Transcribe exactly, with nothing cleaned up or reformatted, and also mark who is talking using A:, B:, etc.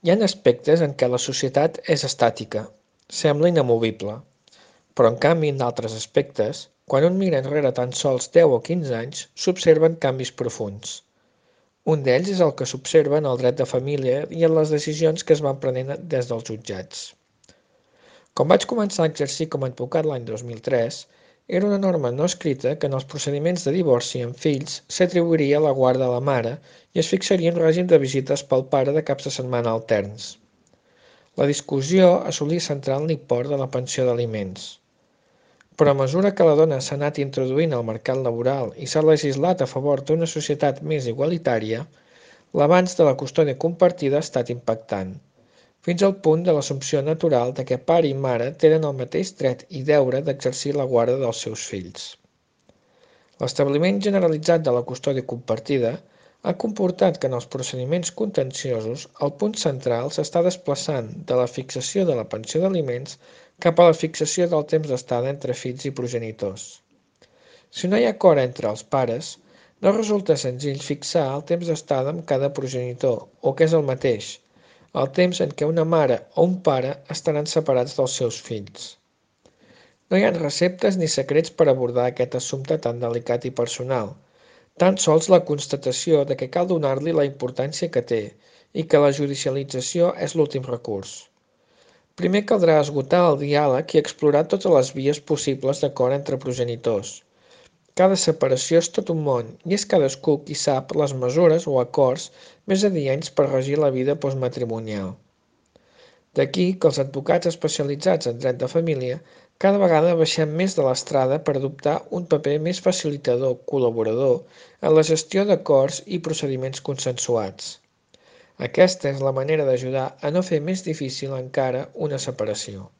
A: Hi ha aspectes en què la societat és estàtica, sembla inamovible, però en canvi en d'altres aspectes, quan un mira enrere tan sols deu o quinze anys, s'observen canvis profunds. Un d'ells és el que s'observa en el dret de família i en les decisions que es van prenent des dels jutjats. Quan vaig començar a exercir com a advocat l'any dos mil tres, era una norma no escrita que en els procediments de divorci amb fills s'atribuiria la guarda a la mare i es fixaria un règim de visites pel pare de caps de setmana alterns. La discussió assolia centrar en l'import de la pensió d'aliments. Però a mesura que la dona s'ha anat introduint al mercat laboral i s'ha legislat a favor d'una societat més igualitària, l'avanç de la custòdia compartida ha estat impactant, fins al punt de l'assumpció natural de que pare i mare tenen el mateix dret i deure d'exercir la guarda dels seus fills. L'establiment generalitzat de la custòdia compartida ha comportat que en els procediments contenciosos el punt central s'està desplaçant de la fixació de la pensió d'aliments cap a la fixació del temps d'estada entre fills i progenitors. Si no hi ha acord entre els pares, no resulta senzill fixar el temps d'estada amb cada progenitor, o que és el mateix, el temps en què una mare o un pare estaran separats dels seus fills. No hi ha receptes ni secrets per abordar aquest assumpte tan delicat i personal, tan sols la constatació de que cal donar-li la importància que té i que la judicialització és l'últim recurs. Primer caldrà esgotar el diàleg i explorar totes les vies possibles d'acord entre progenitors. Cada separació és tot un món i és cadascú qui sap les mesures o acords més adients per regir la vida postmatrimonial. D'aquí que els advocats especialitzats en dret de família cada vegada baixem més de l'estrada per adoptar un paper més facilitador, col·laborador, en la gestió d'acords i procediments consensuats. Aquesta és la manera d'ajudar a no fer més difícil encara una separació.